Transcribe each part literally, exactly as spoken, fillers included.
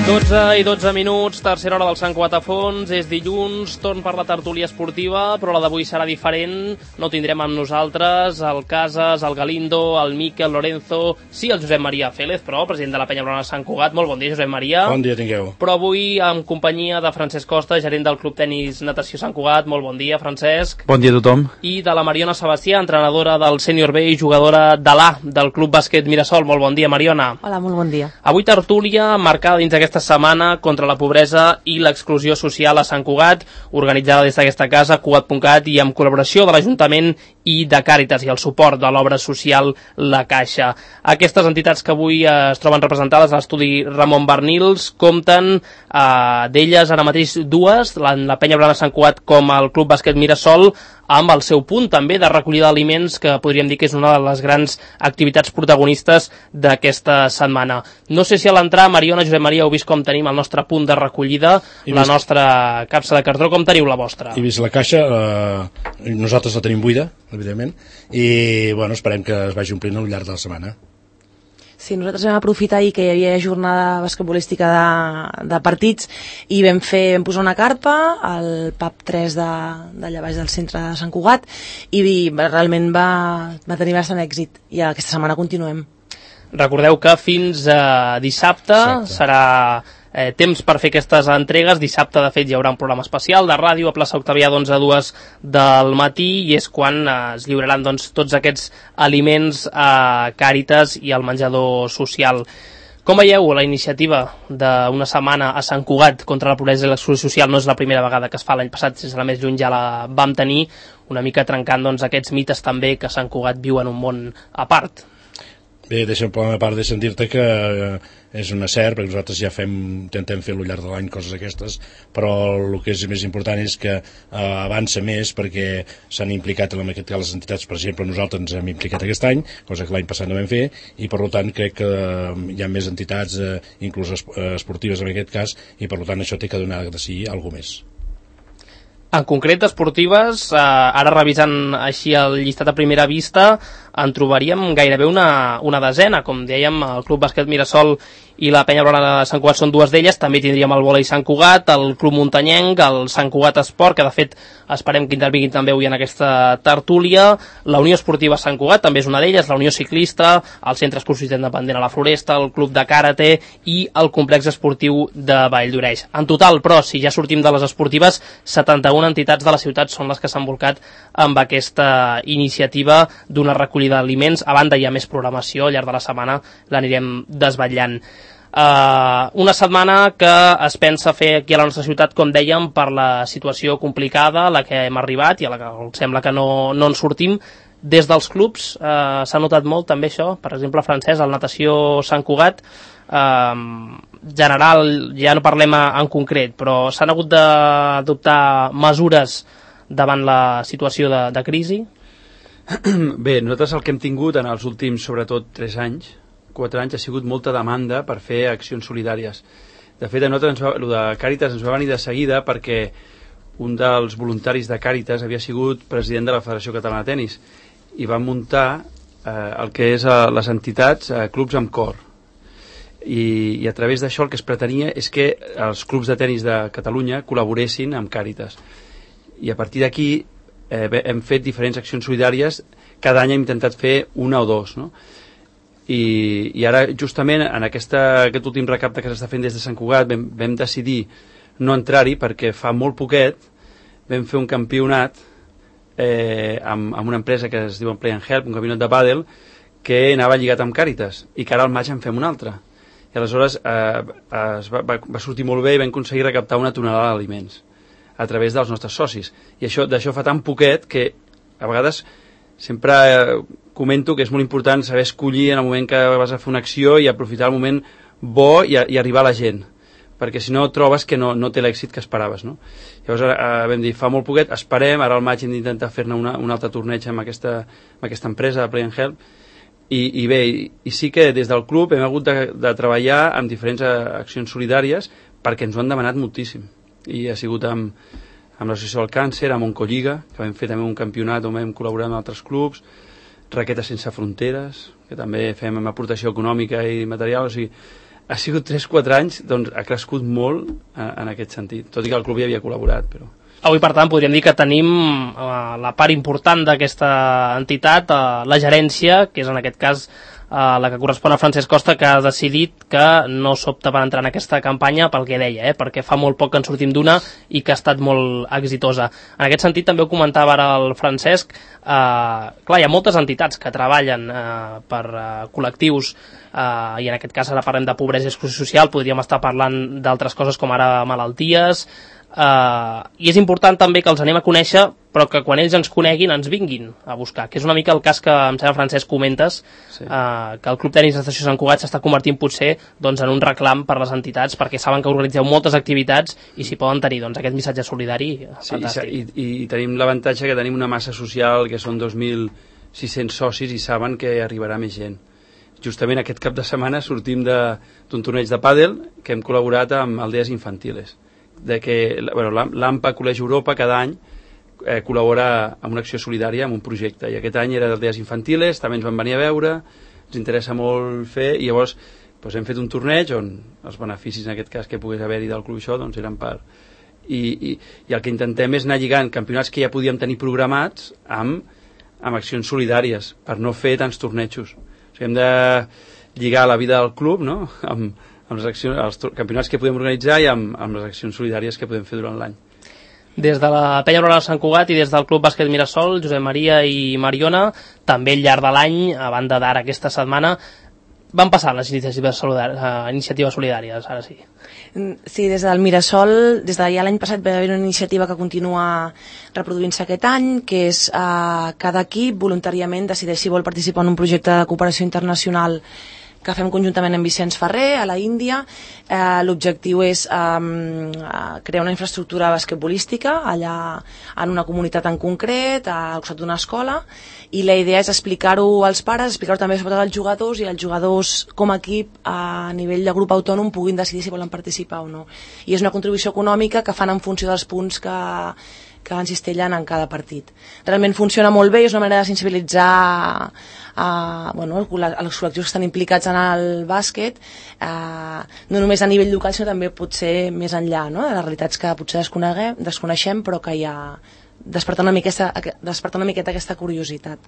dotze i dotze minuts, tercera hora del Sant Cugat a fons, és dilluns, torn per la tertúlia esportiva, però la d'avui serà diferent, no tindrem amb nosaltres el Casas, el Galindo, el Miquel Lorenzo, sí el Josep Maria Félez, però president de la Penya Blaugrana de Sant Cugat. Molt bon dia, Josep Maria. Bon dia, tingueu. Però avui en companyia de Francesc Costa, gerent del Club Tenis Natació Sant Cugat. Molt bon dia, Francesc. Bon dia a tothom. I de la Mariona Sebastià, entrenadora del Sènior B i jugadora de l'A del Club Bàsquet Mirasol. Molt bon dia, Mariona. Hola, molt bon dia. Avui tertúlia marcada dins d'aquesta setmana contra la pobresa i l'exclusió social a Sant Cugat, organitzada des d'aquesta casa, cugat punt cat, i amb col·laboració de l'Ajuntament i de Càritas i el suport de l'obra social La Caixa. Aquestes entitats que avui es troben representades a l'estudi Ramon Barnils compten eh, d'elles ara mateix dues, la, la Penya Blaugrana de Sant Cugat com el Club Bàsquet Mirasol, amb el seu punt també de recollida d'aliments, que podríem dir que és una de les grans activitats protagonistes d'aquesta setmana. No sé si a l'entrar, Mariona, Josep Maria, heu vist com tenim el nostre punt de recollida, I la vist... nostra capsa de cartró. Com teniu la vostra? He vist la caixa, eh, nosaltres la tenim buida, evidentment, i bueno, esperem que es vagi omplint al llarg de la setmana. Sí, nosaltres vam aprofitar ahir que hi havia jornada basquetbolística de, de partits i vam fer, vam posar una carpa al pub tres de, d'allà baix del centre de Sant Cugat i realment va, va tenir bastant èxit i aquesta setmana continuem. Recordeu que fins a dissabte Exacte. serà eh, temps per fer aquestes entregues. Dissabte, de fet, hi haurà un programa especial de ràdio a plaça Octavià d'onze a dues del matí i és quan eh, es lliuraran doncs, tots aquests aliments a Càritas i al menjador social. Com veieu la iniciativa d'una setmana a Sant Cugat contra la pobresa i l'exclusió social? No és la primera vegada que es fa, l'any passat, sense la més lluny, ja la vam tenir, una mica trencant doncs, aquests mites també que Sant Cugat viu en un món a part. Bé, deixa'm per una part de sentir-te que eh, és un cert, perquè nosaltres ja fem, intentem fer al llarg de l'any coses aquestes, però el que és més important és que eh, avança més perquè s'han implicat en aquest cas les entitats. Per exemple, nosaltres ens hem implicat aquest any, cosa que l'any passat no vam fer, i per tant crec que hi ha més entitats, eh, inclús esportives en aquest cas, i per tant això té que donar de si alguna més. En concret, esportives, eh, ara revisant així el llistat a primera vista, en trobaríem gairebé una, una desena. Com dèiem, el Club Bàsquet Mirasol i la Penya Blaugrana de Sant Cugat són dues d'elles. També tindríem el vòlei Sant Cugat, el Club Muntanyenc, el Sant Cugat Esport, que de fet esperem que intervinguin també avui en aquesta tertúlia. La Unió Esportiva Sant Cugat també és una d'elles, la Unió Ciclista, el Centre Excursiu Independent a la Floresta, el Club de Karate i el Complex Esportiu de Valldoreix. En total, però, si ja sortim de les esportives, setanta-una entitats de la ciutat són les que s'han volcat amb aquesta iniciativa d'una recollida d'aliments. A banda, hi ha més programació, al llarg de la setmana l'anirem desvetllant. Uh, una setmana que es pensa fer aquí a la nostra ciutat, com dèiem, per la situació complicada a la que hem arribat i a la que sembla que no, no en sortim. Des dels clubs uh, s'ha notat molt també això. Per exemple, Francesc, el Natació Sant Cugat, uh, general, ja no parlem en concret, però s'han hagut d'adoptar mesures davant la situació de, de crisi? Bé, nosaltres el que hem tingut en els últims, sobretot, tres anys, quatre anys, ha sigut molta demanda per fer accions solidàries. De fet, a nosaltres, ens va, el de Càritas ens va venir de seguida perquè un dels voluntaris de Càritas havia sigut president de la Federació Catalana de Tenis i va muntar eh, el que és eh, les entitats, eh, clubs amb cor. I, i a través d'això el que es pretenia és que els clubs de tenis de Catalunya col·laboressin amb Càritas. I a partir d'aquí eh, hem fet diferents accions solidàries. Cada any hem intentat fer una o dos, no? I, i ara justament en aquesta, aquest últim recapte que s'està fent des de Sant Cugat vam, vam decidir no entrar-hi perquè fa molt poquet vam fer un campionat eh, amb, amb una empresa que es diu Play and Help, un campionat de pàdel que anava lligat amb Càritas i que ara al maig en fem un altre i aleshores eh, es va, va, va sortir molt bé i vam aconseguir recaptar una tonelada d'aliments a través dels nostres socis i això d'això fa tan poquet que a vegades sempre eh, comento que és molt important saber escollir en el moment que vas a fer una acció i aprofitar el moment bo i, a, i arribar a la gent, perquè si no trobes que no, no té l'èxit que esperaves, no? Llavors eh, vam dir, fa molt poquet, esperem, ara al maig hem d'intentar fer-ne una, un altre torneig amb aquesta, amb aquesta empresa de Play and Help i, i bé, i, i sí que des del club hem hagut de, de treballar amb diferents accions solidàries perquè ens ho han demanat moltíssim i ha sigut amb amb l'Associació del Càncer, amb Oncolliga, que vam fer també un campionat on vam col·laborar amb altres clubs, Raquetes Sense Fronteres, que també fem amb aportació econòmica i material, o sigui, ha sigut tres quatre anys, doncs ha crescut molt en, en aquest sentit, tot i que el club hi havia col·laborat, però... Avui, per tant, podríem dir que tenim uh, la part important d'aquesta entitat, uh, la gerència, que és en aquest cas uh, la que correspon a Francesc Costa, que ha decidit que no s'opta per entrar en aquesta campanya pel que deia, eh, perquè fa molt poc que en sortim d'una i que ha estat molt exitosa. En aquest sentit, també ho comentava ara el Francesc, uh, clar, hi ha moltes entitats que treballen uh, per uh, col·lectius, uh, i en aquest cas ara parlem de pobresa i exclusió social, podríem estar parlant d'altres coses com ara malalties, Uh, i és important també que els anem a conèixer, però que quan ells ens coneguin ens vinguin a buscar, que és una mica el cas que em sembla, Francesc, comentes, sí. uh, que el Club Tenis d'Estació Sant Cugat s'està convertint potser doncs, en un reclam per les entitats, perquè saben que organitzeu moltes activitats i si poden tenir doncs, aquest missatge solidari, sí, fantàstic. I, i, i tenim l'avantatge que tenim una massa social que són dos mil sis-cents socis i saben que arribarà més gent. Justament aquest cap de setmana sortim d'un torneig de pàdel que hem col·laborat amb Aldees Infantiles, de que bueno, l'A M P A Col·legi Europa cada any eh, col·labora amb una acció solidària, amb un projecte, i aquest any era d'Aldees Infantiles, també ens van venir a veure, ens interessa molt fer, i llavors doncs, hem fet un torneig on els beneficis en aquest cas que pogués haver-hi del club això doncs eren per... I, i, i el que intentem és anar lligant campionats que ja podíem tenir programats amb, amb accions solidàries per no fer tants tornejos. O sigui, hem de lligar la vida del club, no?, amb amb les accions, els campionats que podem organitzar i amb, amb les accions solidàries que podem fer durant l'any. Des de la Penya Aurora Sant Cugat i des del Club Bàsquet Mirasol, Josep Maria i Mariona, també al llarg de l'any, a banda d'ara aquesta setmana, van passar les iniciatives solidàries, uh, iniciatives solidàries, ara sí. Sí, des del Mirasol, des de ja l'any passat va haver una iniciativa que continua reproduint-se aquest any, que és uh, cada equip voluntàriament decideix si vol participar en un projecte de cooperació internacional que fem conjuntament amb Vicenç Ferrer a la Índia. Eh, l'objectiu és eh, crear una infraestructura basquetbolística allà en una comunitat en concret, al costat d'una escola, i la idea és explicar-ho als pares, explicar-ho també sobretot als jugadors, i els jugadors com a equip a nivell de grup autònom puguin decidir si volen participar o no. I és una contribució econòmica que fan en funció dels punts que que ens cistellen en cada partit. Realment funciona molt bé, és una manera de sensibilitzar a, bueno, els col·lectius que estan implicats en el bàsquet, eh, no només a nivell local, sinó també potser més enllà, no?, de les realitats que potser desconeixem, però que ja desperta una miqueta, desperta una miqueta aquesta curiositat.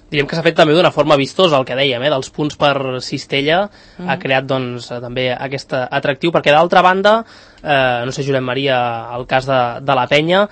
Diríem que s'ha fet també d'una forma vistosa, el que dèiem, eh, dels punts per cistella, mm. ha creat doncs, també aquest atractiu, perquè d'altra banda, eh, no sé, Josep Maria, el cas de, de la Penya,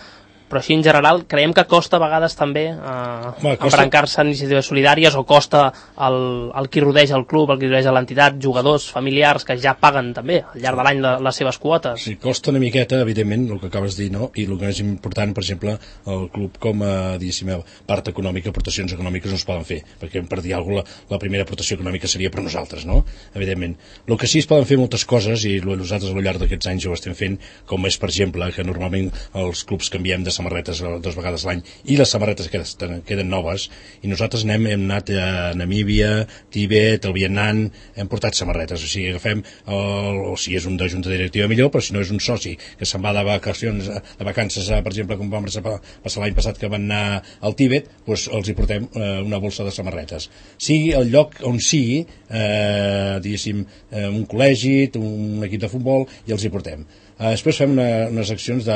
però així en general creiem que costa a vegades també eh, embrancar-se en iniciatives solidàries, o costa el, el qui rodeja el club, el qui rodeja l'entitat, jugadors, familiars que ja paguen també al llarg de l'any les, les seves quotes. Sí, costa una miqueta, evidentment, el que acabes de dir, no? I el que és important, per exemple, el club com a, diguéssim, part econòmica, aportacions econòmiques no es poden fer, perquè per dir alguna cosa, la, la primera aportació econòmica seria per nosaltres, no? Evidentment. El que sí es poden fer moltes coses, i nosaltres al llarg d'aquests anys ho estem fent, com és, per exemple, que normalment els clubs canviem de samarretes dues vegades l'any, i les samarretes queden, queden noves, i nosaltres anem, hem anat a Namíbia, Tibet, el Vietnam, hem portat samarretes, o sigui, agafem el, o si és un de junta directiva millor, però si no és un soci que se'n va de vacacions, de vacances, per exemple, com vam passar l'any passat que van anar al Tibet, doncs els hi portem eh, una bolsa de samarretes. Sigui el lloc on sigui, eh, diguéssim, eh, un col·legi, un equip de futbol, i els hi portem. Uh, després fem una, unes accions de,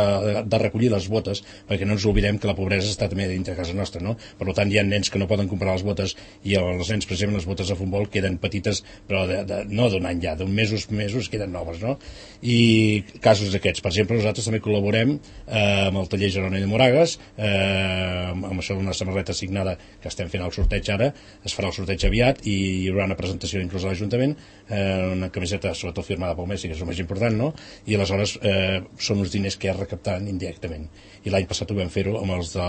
de recollir les botes, perquè no ens oblidem que la pobresa està també dintre de casa nostra, no? Per tant, hi ha nens que no poden comprar les botes, i els nens, per exemple, les botes de futbol queden petites, però de, de, no d'un any ja, d'un mesos, mesos queden noves, no? I casos d'aquests. Per exemple, nosaltres també col·laborem eh, amb el taller Jeroni de Moragas, eh, amb això d'una samarreta assignada que estem fent el sorteig ara, es farà el sorteig aviat, i hi haurà una presentació inclús a l'Ajuntament, eh, una camiseta sobretot firmada pel Messi, que és el més important, no? I aleshores Eh, són uns diners que es recapten indirectament, i l'any passat ho vam fer-ho amb els de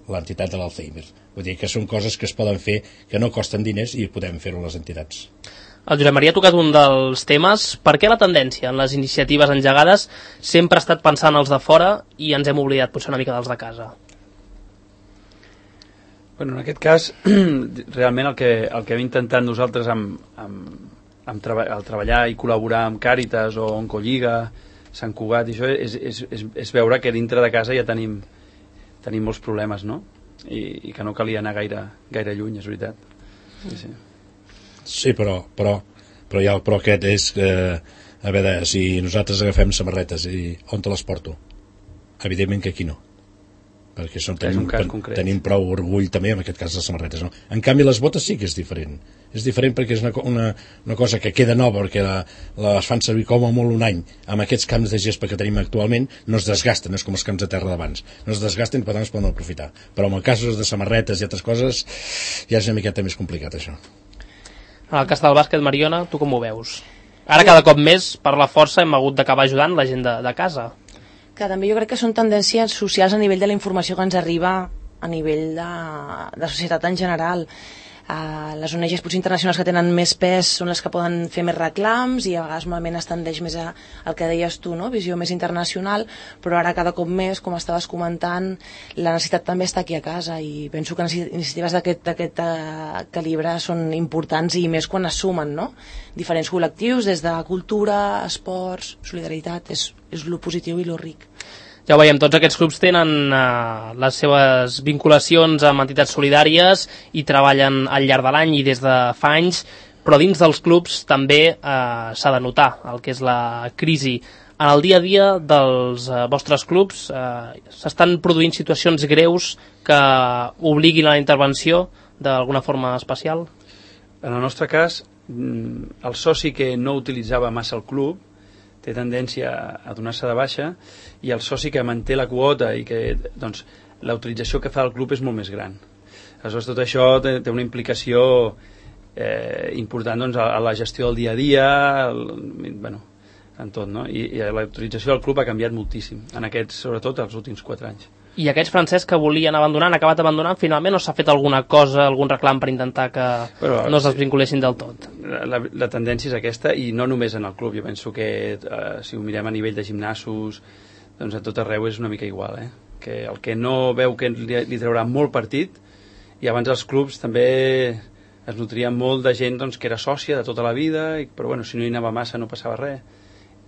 l'entitat de l'Alzheimer. Vull dir que són coses que es poden fer, que no costen diners, i podem fer-ho les entitats. El Josep Maria ha tocat un dels temes. Per què la tendència en les iniciatives engegades sempre ha estat pensant els de fora i ens hem oblidat potser una mica dels de casa? Bueno, en aquest cas, realment el que, el que hem intentat nosaltres amb, amb, amb treba- el treballar i col·laborar amb Càritas o Oncolliga, Sant Cugat, i això és, és, és, és veure que dintre de casa ja tenim, tenim molts problemes, no? I, i que no calia anar gaire, gaire lluny, és veritat. Sí, sí. Sí, però, però però, ja, però aquest és eh, a veure, si nosaltres agafem samarretes i on te les porto? Evidentment que aquí no, perquè són, tenim, tenim prou orgull també en aquest cas les samarretes, no? En canvi les botes sí que és diferent, és diferent perquè és una, una, una cosa que queda nova, perquè la, les fan servir com a molt un any. Amb aquests camps de gespa que tenim actualment no es desgasten, no és com els camps de terra d'abans, no es desgasten i per tant es poden aprofitar, però en el cas de samarretes i altres coses ja és una miqueta més complicat això. En el cas del bàsquet, Mariona, tu com ho veus? Ara cada cop més per la força hem hagut d'acabar ajudant la gent de, de casa, que també jo crec que són tendències socials a nivell de la informació que ens arriba a nivell de, de societat en general. Uh, les O N Ges potser internacionals que tenen més pes són les que poden fer més reclams i a vegades normalment es tendeix més a, al que deies tu, no? Visió més internacional, però ara cada cop més, com estaves comentant, la necessitat també està aquí a casa i penso que iniciatives d'aquest uh, calibre són importants i més quan es sumen, no? Diferents col·lectius, des de cultura, esports, solidaritat, és, és lo positiu i lo ric. Ja ho veiem, tots aquests clubs tenen eh, les seves vinculacions amb entitats solidàries i treballen al llarg de l'any i des de fa anys, però dins dels clubs també eh, s'ha de notar el que és la crisi. En el dia a dia dels eh, vostres clubs eh, s'estan produint situacions greus que obliguin a la intervenció d'alguna forma especial? En el nostre cas, el soci que no utilitzava massa el club té tendència a donar-se de baixa i el soci que manté la quota i que doncs, la utilització que fa el club és molt més gran. Aleshores, tot això té, té una implicació eh, important doncs, a, a la gestió del dia a dia, el, bueno, en tot, no? I, i la utilització del club ha canviat moltíssim, en aquests, sobretot els últims quatre anys. I aquests, Francesc, que volien abandonar, han acabat abandonant, finalment, o s'ha fet alguna cosa, algun reclam per intentar que Però, no es desvinculessin del tot? La, la tendència és aquesta, i no només en el club. Jo penso que eh, si ho mirem a nivell de gimnasos, doncs a tot arreu és una mica igual, eh? Que el que no veu que li, li traurà molt partit, i abans els clubs també es nutrien molt de gent doncs, que era sòcia de tota la vida, i, però bueno, si no hi anava massa no passava res,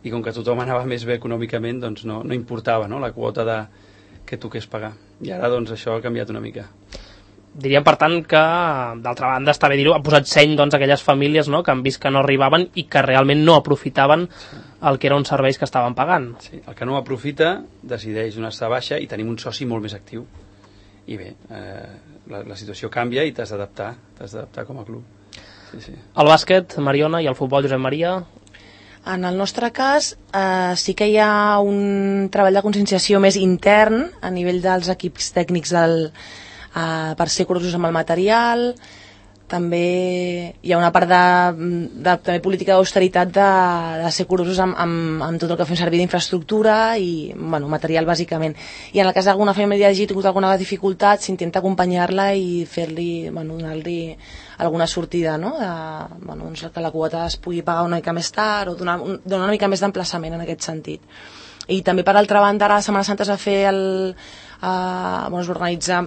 i com que tothom anava més bé econòmicament, doncs no, no importava, no?, la quota de que toqués pagar. I ara doncs això ha canviat una mica. Diríem, per tant, que d'altra banda està bé dir-ho, ha posat seny doncs, a aquelles famílies, no?, que han vist que no arribaven i que realment no aprofitaven sí. el que eren uns serveis que estaven pagant. Sí, el que no aprofita decideix donar-se de baixa i tenim un soci molt més actiu. I bé, eh, la, la situació canvia i t'has d'adaptar, t'has d'adaptar com a club. Sí, sí. El bàsquet, Mariona, i el futbol, Josep Maria... En el nostre cas, eh, sí que hi ha un treball de conscienciació més intern a nivell dels equips tècnics del, eh, per ser curosos amb el material. També hi ha una part de, de també política d'austeritat de, de ser curosos amb, amb, amb tot el que fem servir d'infraestructura i bueno, material bàsicament. I en el cas d'alguna família que hagi tingut alguna dificultat s'intenta acompanyar-la i fer-li, bueno, donar-li alguna sortida, no? De, bueno, doncs que la quota es pugui pagar una mica més tard o donar, un, donar una mica més d'emplaçament en aquest sentit. I també per altra banda ara a Setmana Santa es va fer el, eh, bueno, es va organitzar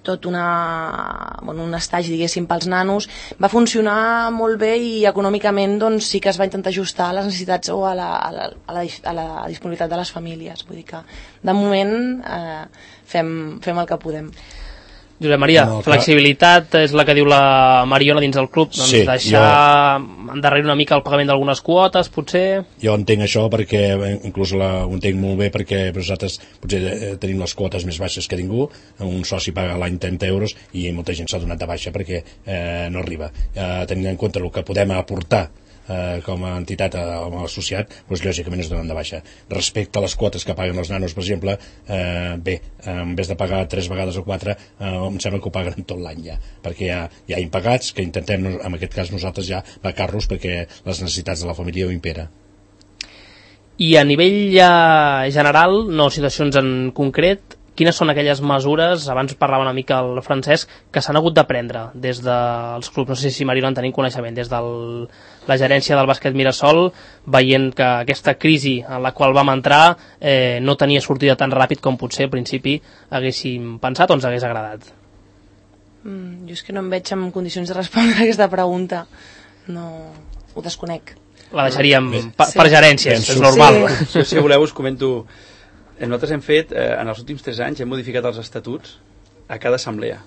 tot una, bueno, un estatge, diguéssim, pels nanos. Va funcionar molt bé i econòmicament doncs, sí que es va intentar ajustar a les necessitats o a la, a la, a la, a la disponibilitat de les famílies. Vull dir que, de moment, eh, fem, fem el que podem. Josep Maria, no, flexibilitat és la que diu la Mariona dins del club, doncs sí, deixar jo... endarrere una mica el pagament d'algunes quotes, potser? Jo entenc això perquè, inclús la, ho entenc molt bé perquè nosaltres potser eh, tenim les quotes més baixes que ningú, un soci paga l'any trenta euros i molta gent s'ha donat de baixa perquè eh, no arriba. Eh, tenint en compte el que podem aportar Eh, com a entitat o com a associat, doncs lògicament es donen de baixa. Respecte a les quotes que paguen els nanos, per exemple, eh, bé, en vez de pagar tres vegades o quatre, eh, em sembla que ho paguen tot l'any ja, perquè hi ha, hi ha impagats que intentem, en aquest cas nosaltres ja, becar-los perquè les necessitats de la família ho impera. I a nivell ja general, no situacions en concret, quines són aquelles mesures, abans parlava una mica el Francesc, que s'han hagut de prendre des dels clubs, no sé si Mariona en tenim coneixement, des de la gerència del bàsquet Mirasol, veient que aquesta crisi en la qual vam entrar eh, no tenia sortida tan ràpid com potser al principi haguéssim pensat o ens hagués agradat? Mm, jo és que no em veig en condicions de respondre a aquesta pregunta. No, ho desconec. La deixaríem sí. per, per gerències, sí. és normal. Sí. Jo, si voleu, us comento... Nosaltres hem fet, eh, en els últims tres anys, hem modificat els estatuts a cada assemblea.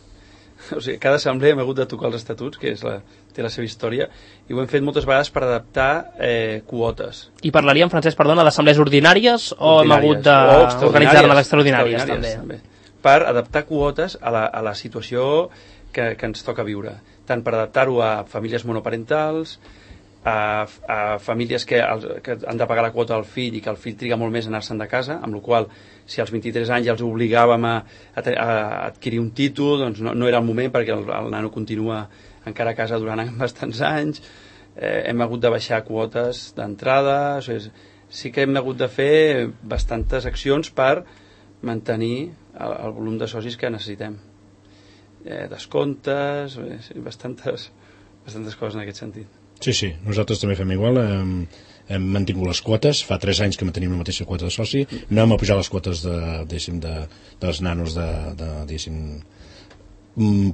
o sigui, cada assemblea hem hagut de tocar els estatuts, que és la, té la seva història, i ho hem fet moltes vegades per adaptar eh, quotes. I parlaríem, Francesc, perdona, d'assemblees ordinàries o hem hagut d'organitzar-ne d'extraordinàries, també? també? Per adaptar quotes a la, a la situació que, que ens toca viure, tant per adaptar-ho a famílies monoparentals, a, a famílies que, que han de pagar la quota al fill i que el fill triga molt més a anar-se'n de casa, amb la qual cosa, si als vint-i-tres anys ja els obligàvem a, a, a adquirir un títol, doncs no, no era el moment perquè el, el nano continua encara a casa durant bastants anys. Eh, hem hagut de baixar quotes d'entrada, o sigui, sí que hem hagut de fer bastantes accions per mantenir el, el volum de socis que necessitem. Eh, descomptes, eh, sí, bastantes, bastantes coses en aquest sentit. Sí, sí, nosaltres també fem igual, hem, hem mantingut les quotes, fa tres anys que mantenim la mateixa quota de soci, no hem apujat les quotes de, diguéssim, de, dels nanos de, de diguéssim,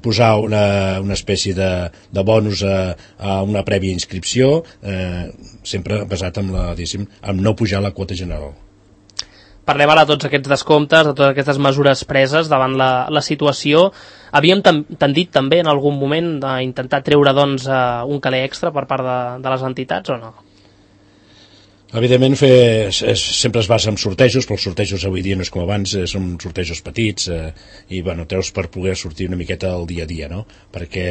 posar una, una espècie de, de bonus a, a una prèvia inscripció, eh, sempre basat en, la, diguéssim, en no pujar la quota general. Parlem ara de tots aquests descomptes, de totes aquestes mesures preses davant la, la situació. Havíem tendit també en algun moment d'intentar treure doncs, un caler extra per part de, de les entitats o no? Evidentment fer, és, sempre es basa en sortejos, però els sortejos avui dia no és com abans, eh, són sortejos petits eh, i bueno, treus per poder sortir una miqueta al dia a dia, no? Perquè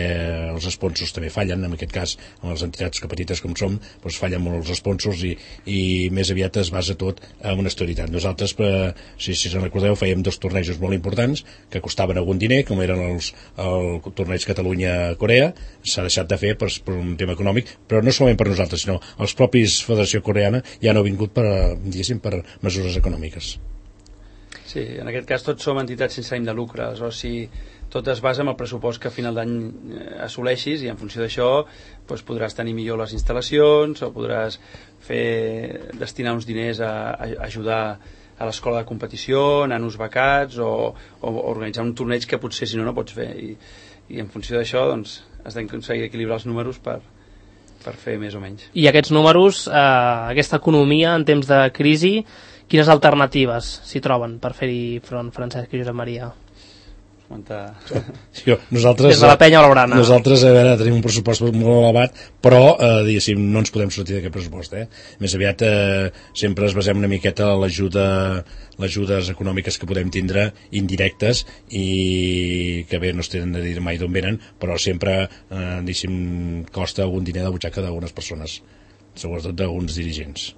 els sponsors també fallen, en aquest cas amb les entitats que petites com som doncs fallen molt els sponsors i, i més aviat es basa tot en una austeritat. Nosaltres, eh, si, si se'n recordeu, fèiem dos tornejos molt importants que costaven algun diner, com eren els, el torneig Catalunya-Corea, s'ha deixat de fer per, per un tema econòmic, però no solament per nosaltres, sinó els propis Federació Coreana ja no ha vingut per, diguéssim, per mesures econòmiques. Sí, en aquest cas tots som entitats sense ànim de lucre, aleshores si tot es basa en el pressupost que a final d'any assoleixis i en funció d'això doncs podràs tenir millor les instal·lacions o podràs fer, destinar uns diners a, a ajudar a l'escola de competició, nanos becats o, o organitzar un torneig que potser si no no pots fer i, i en funció d'això doncs has d'aconseguir equilibrar els números per per fer més o menys. I aquests números, eh, aquesta economia en temps de crisi, quines alternatives s'hi troben per fer-hi front, Francesc i Josep Maria? Jo, nosaltres, des de la penya blaugrana. Nosaltres, a veure, tenim un pressupost molt elevat, però, eh, diguéssim, no ens podem sortir d'aquest pressupost, eh? Més aviat, eh, sempre es basem una miqueta a l'ajuda, les ajudes econòmiques que podem tindre, indirectes, i que bé, no es tenen de dir mai d'on venen, però sempre, eh, diguéssim, costa algun diner de butxaca d'algunes persones, sobretot d'alguns dirigents.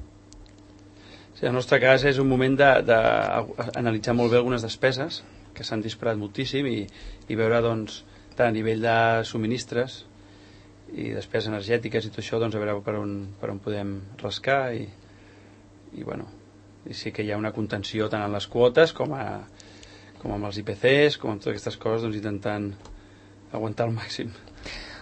Sí, en el nostre cas és un moment d'analitzar molt bé algunes despeses, que s'han disparat moltíssim i, i veure doncs, tant a nivell de subministres i despeses energètiques i tot això, doncs, a veure per on, per on podem rascar i, i, bueno, i sí que hi ha una contenció tant en les quotes com, a, com amb els I P Cs, com amb totes aquestes coses, doncs, intentant aguantar al màxim.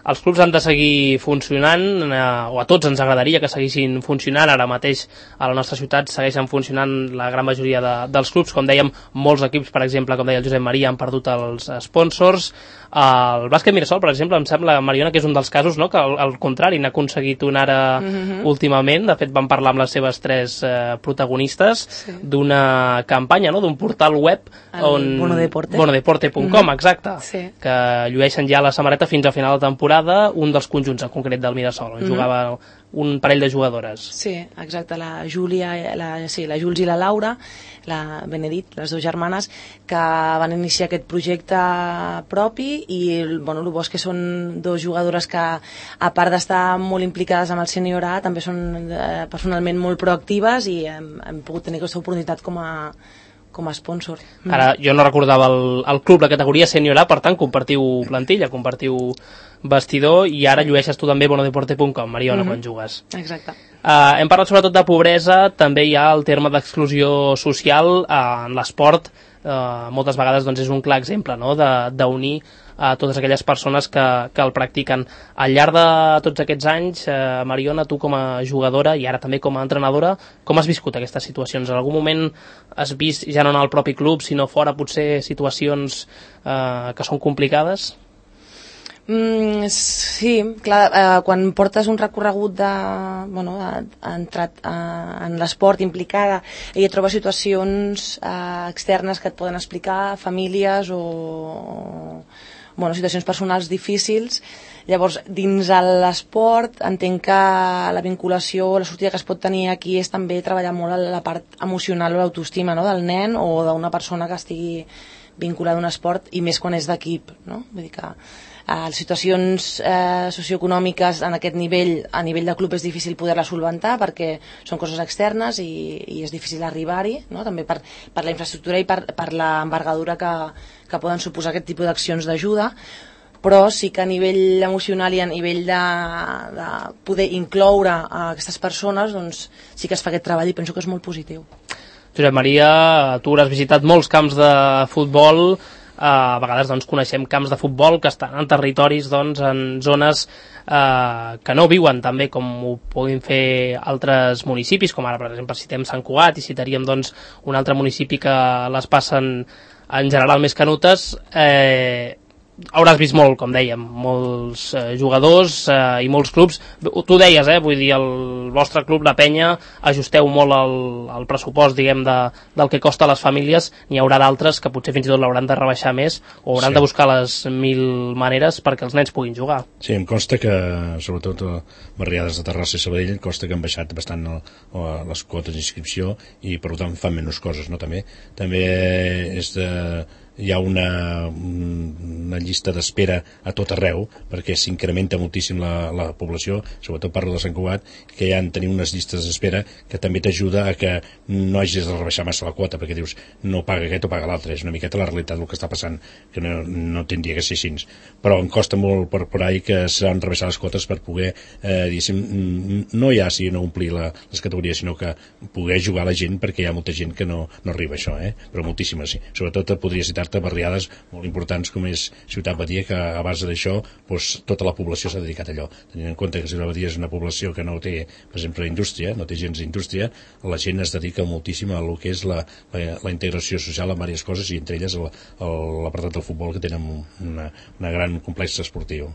Els clubs han de seguir funcionant, eh, o a tots ens agradaria que seguissin funcionant. Ara mateix a la nostra ciutat segueixen funcionant la gran majoria de, dels clubs. Com dèiem, molts equips, per exemple, com deia el Josep Maria, han perdut els sponsors. El bàsquet Mirasol, per exemple, em sembla, Mariona, que és un dels casos, no?, que al, al contrari n'ha aconseguit una ara mm-hmm. últimament. De fet, vam parlar amb les seves tres eh, protagonistes sí. d'una campanya, no?, d'un portal web el on... Bonodeporte. bonodeporte punt com, mm-hmm. exacte, sí. que llueixen ja la samarreta fins a final de temporada, un dels conjunts en concret del Mirasol, on mm-hmm. jugava un parell de jugadores. Sí, exacte, la Júlia, la, sí, la Juls i la Laura, la Benedit, les dues germanes, que van iniciar aquest projecte propi i bueno, el bo és que són dues jugadores que, a part d'estar molt implicades amb el Sènior A, també són eh, personalment molt proactives i hem, hem pogut tenir aquesta oportunitat com a com a sponsor. Ara, jo no recordava el, el club, la categoria Sènior A, per tant, compartiu plantilla, compartiu vestidor, i ara llueixes tu també bonodeporte punt com, Mariona, mm-hmm. quan jugues. Exacte. Uh, hem parlat sobretot de pobresa, també hi ha el terme d'exclusió social uh, en l'esport. Uh, moltes vegades doncs, és un clar exemple, no?, d'unir a totes aquelles persones que, que el practiquen. Al llarg de tots aquests anys, eh, Mariona, tu com a jugadora i ara també com a entrenadora, com has viscut aquestes situacions? En algun moment has vist, ja no en el propi club, sinó fora, potser situacions eh, que són complicades? Mm, sí, clar, eh, quan portes un recorregut de, bueno, ha entrat eh, en l'esport implicada i et trobes situacions eh, externes que et poden explicar famílies o, bueno, situacions personals difícils. Llavors, dins l'esport, entenc que la vinculació, la sortida que es pot tenir aquí és també treballar molt la part emocional o l'autoestima, no?, del nen o d'una persona que estigui vinculada a un esport, i més quan és d'equip, no? Vull dir que eh, les situacions eh, socioeconòmiques en aquest nivell, a nivell de club, és difícil poder-la solventar perquè són coses externes i, i és difícil arribar-hi, no?, també per, per la infraestructura i per, per l'envergadura que, que poden suposar aquest tipus d'accions d'ajuda, però sí que a nivell emocional i a nivell de, de poder incloure a aquestes persones, doncs sí que es fa aquest treball i penso que és molt positiu. Josep Maria, tu has visitat molts camps de futbol, a vegades doncs, coneixem camps de futbol que estan en territoris, doncs, en zones eh, que no viuen també com ho puguin fer altres municipis, com ara, per exemple, citem Sant Cugat i citaríem doncs, un altre municipi que les passen en general més canutes. eh, hauràs vist molt, com dèiem, molts eh, jugadors eh, i molts clubs. Tu deies, eh, vull dir, el vostre club, la Penya, ajusteu molt el, el pressupost, diguem, de, del que costa a les famílies. N'hi haurà d'altres que potser fins i tot l'hauran de rebaixar més o hauran sí. de buscar les mil maneres perquè els nens puguin jugar. Sí, em consta que, sobretot a barriades de Terrassa i Sabadell, em consta que han baixat bastant el, el, les quotes d'inscripció i per tant fan menys coses, no? També, també és de... hi ha una, una llista d'espera a tot arreu perquè s'incrementa moltíssim la, la població, sobretot parlo de Sant Cugat, que ja han tenir unes llistes d'espera que també t'ajuda a que no hagis de rebaixar massa la quota, perquè dius no paga aquest o paga l'altre, és una miqueta la realitat del que està passant, que no, no tindria que ser així, però em costa molt per por ahí que s'han rebaixat les quotes per poder eh, diguéssim, no ja si no omplir la, les categories, sinó que poder jugar a la gent, perquè hi ha molta gent que no, no arriba a això, eh? Però moltíssima, sí. Sobretot podria citar barriades molt importants com és Ciutat Badia, que a base d'això doncs, tota la població s'ha dedicat a allò, tenint en compte que Ciutat Badia és una població que no té, per exemple, indústria, no té gens d'indústria, la gent es dedica moltíssim a lo que és la, la, la integració social en diverses coses, i entre elles l'apartat del futbol, que tenen una, una gran complex esportiu.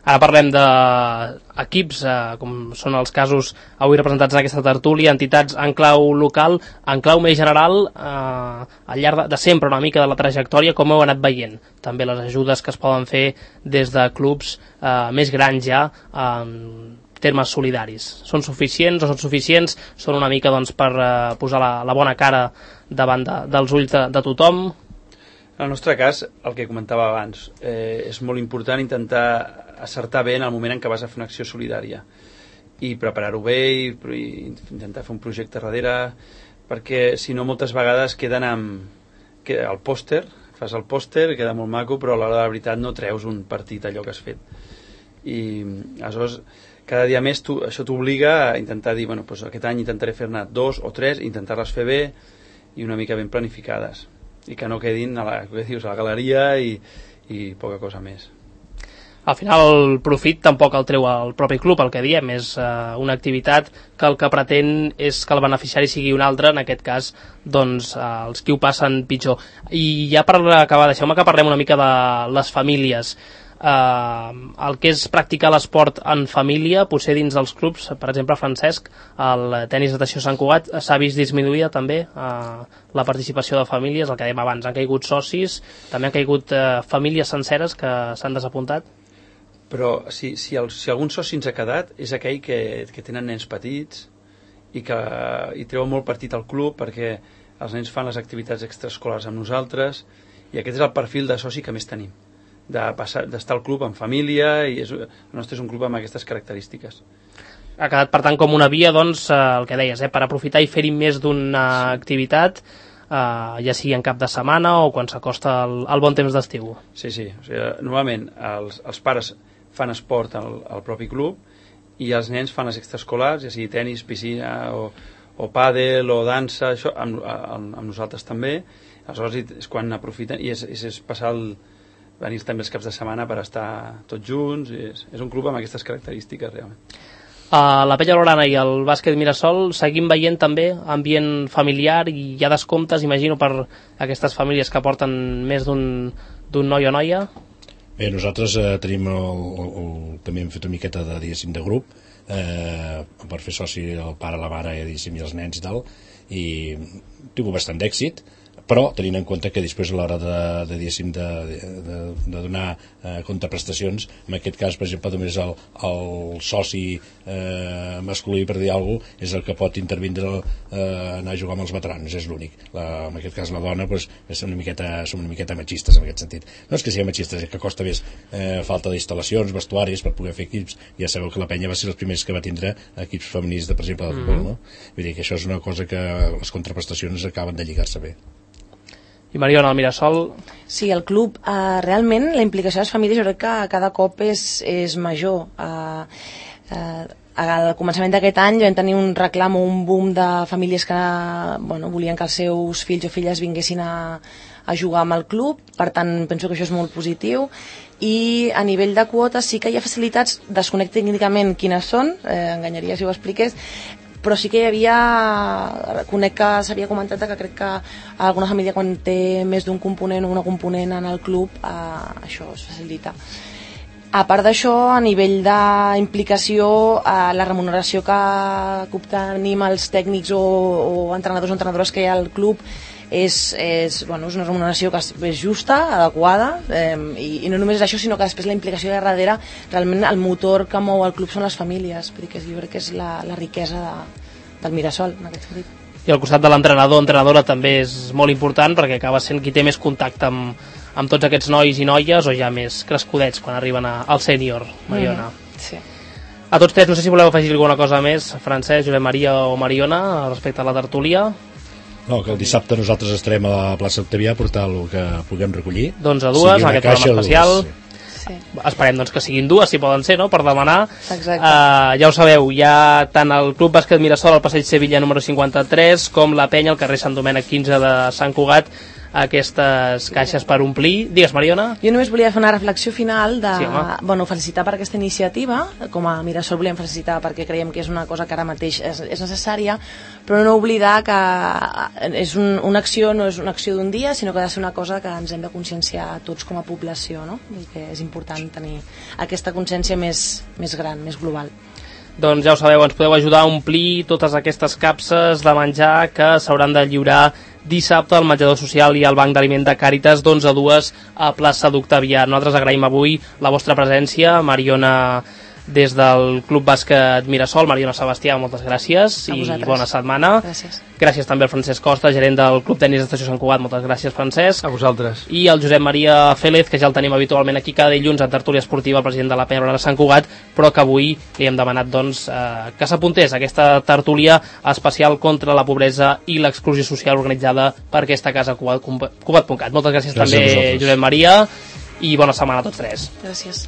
Ara parlem d'equips, eh, com són els casos avui representats en aquesta tertúlia, entitats en clau local, en clau més general, eh, al llarg de, de sempre una mica de la trajectòria, com heu anat veient també les ajudes que es poden fer des de clubs eh, més grans ja en termes solidaris. Són suficients o són suficients? Són una mica doncs, per eh, posar la, la bona cara davant de, dels ulls de, de tothom? En el nostre cas, el que comentava abans, eh, és molt important intentar acertar bé en el moment en què vas a fer una acció solidària i preparar-ho bé i, i intentar fer un projecte darrere, perquè si no moltes vegades queden amb queda el pòster, fas el pòster, queda molt maco, però a l'hora de la veritat no treus un partit allò que has fet. I aleshores cada dia més tu, això t'obliga a intentar dir, bueno, doncs aquest any intentaré fer-ne dos o tres, intentar-les fer bé i una mica ben planificades, i que no quedin a la, que dius, a la galeria i, i poca cosa més. Al final el profit tampoc el treu el propi club, el que diem és eh, una activitat que el que pretén és que el beneficiari sigui un altre, en aquest cas doncs eh, els qui ho passen pitjor. I ja per acabar, deixeu-me que parlem una mica de les famílies. Uh, el que és practicar l'esport en família, potser dins dels clubs, per exemple, Francesc, el tenis natació Sant Cugat, s'ha vist disminuïda també uh, la participació de famílies, el que dèiem abans, han caigut socis, també han caigut uh, famílies senceres que s'han desapuntat. Però si, si, el, si algun soci ens ha quedat és aquell que, que tenen nens petits i que hi treuen molt partit al club perquè els nens fan les activitats extraescolars amb nosaltres, i aquest és el perfil de soci que més tenim, de passar, d'estar al club en família, i és, el nostre és un club amb aquestes característiques. Ha quedat, per tant, com una via, doncs, eh, el que deies, eh, per aprofitar i fer-hi més d'una sí. activitat, eh, ja sigui en cap de setmana o quan s'acosta el, el bon temps d'estiu. Sí, sí. O sigui, normalment els, els pares fan esport al, al propi club i els nens fan les extraescolars, ja sigui tenis, piscina o, o pàdel o dansa, això, amb, amb, amb nosaltres també. Aleshores és quan aprofiten, i és, és, és passar el venir també els caps de setmana per estar tots junts, i és, és un club amb aquestes característiques realment. A la Penya Blaugrana i el bàsquet Mirasol seguim veient també ambient familiar, i hi ha descomptes, imagino, per aquestes famílies que porten més d'un d'un noi o noia. Bé, nosaltres eh, tenim el, el, el, també hem fet una miqueta de, diguéssim, de grup eh, per fer soci el pare, la mare, diguéssim, i els nens i tal, i tinc bastant d'èxit, però tenint en compte que després a l'hora de, de, de, de, de, de donar eh, contraprestacions, en aquest cas per exemple només el, el soci eh, masculí, per dir alguna cosa, és el que pot intervindre eh, anar a jugar amb els veteranos, és l'únic. La, en aquest cas la dona pues, és una miqueta, som una miqueta machistes en aquest sentit. No és que siguem machistes, és que costa més eh, falta d'instal·lacions, vestuaris per poder fer equips. Ja sabeu que la penya va ser els primers que va tindre equips femenins de, per exemple, de futbol, no? Vull dir que això és una cosa que les contraprestacions acaben de lligar-se bé. I Mariona, el Mirasol... Sí, el club, eh, realment la implicació de les famílies jo crec que cada cop és, és major. Eh, eh, al començament d'aquest any vam tenir un reclam o un boom de famílies que bueno, volien que els seus fills o filles vinguessin a, a jugar amb el club, per tant penso que això és molt positiu. I a nivell de quotes sí que hi ha facilitats, desconec tècnicament quines són, eh, enganyaria si ho expliqués, però sí que hi havia, conec que s'havia comentat que crec que alguna família quan té més d'un component o una component en el club, eh, això es facilita. A part d'això, a nivell d'implicació, eh, la remuneració que, que obtenim els tècnics o, o entrenadors o entrenadores que hi ha al club és, és, bueno, és una remuneració que és justa, adequada, eh, i, i no només és això, sinó que després la implicació de darrere, realment el motor que mou el club són les famílies, perquè jo crec que és la, la riquesa de, del Mirasol en aquest sentit. I al costat de l'entrenador o entrenadora també és molt important perquè acaba sent qui té més contacte amb, amb tots aquests nois i noies o ja més crescudets quan arriben a, al sènior, Mariona. Mm, sí. A tots tres, no sé si voleu afegir alguna cosa més, Francesc, Josep Maria o Mariona, respecte a la tertúlia. No, que el dissabte nosaltres estarem a la plaça Octavià a portar el que puguem recollir. D'onze a dues, en aquest programa especial. Dues, sí. Sí. Esperem doncs, que siguin dues, si poden ser, no?, per demanar. Exacte. Uh, ja ho sabeu, hi ha tant el Club Bàsquet Mirasol al passeig Sevilla número cinquanta-tres com la Penya al carrer Sant Domènec quinze de Sant Cugat, aquestes caixes per omplir. Digues, Mariona. Jo només volia fer una reflexió final de, sí, bueno, felicitar per aquesta iniciativa. Com a Mirasol volíem felicitar perquè creiem que és una cosa que ara mateix és, és necessària, però no oblidar que és un, una acció, no és una acció d'un dia, sinó que ha de ser una cosa que ens hem de conscienciar tots com a població, no? I que és important tenir aquesta consciència més, més gran, més global. Doncs ja ho sabeu, ens podeu ajudar a omplir totes aquestes capses de menjar que s'hauran de lliurar dissabte al menjador social i al banc d'aliment de Càritas d'onze a dues a plaça d'Octavià. Nosaltres agraïm avui la vostra presència, Mariona des del Club Bàsquet Mirasol, Mariona Sebastià, moltes gràcies i bona setmana. Gràcies. Gràcies també al Francesc Costa, gerent del Club Tenis d'Estació Sant Cugat, moltes gràcies, Francesc. A vosaltres. I el Josep Maria Félez, que ja el tenim habitualment aquí cada dilluns a tertúlia esportiva, el president de la Penya de Sant Cugat, però que avui li hem demanat doncs, eh, que s'apuntés a aquesta tertúlia especial contra la pobresa i l'exclusió social organitzada per aquesta casa cugat punt cat. Moltes gràcies, gràcies també, Josep Maria, i bona setmana a tots tres. Gràcies.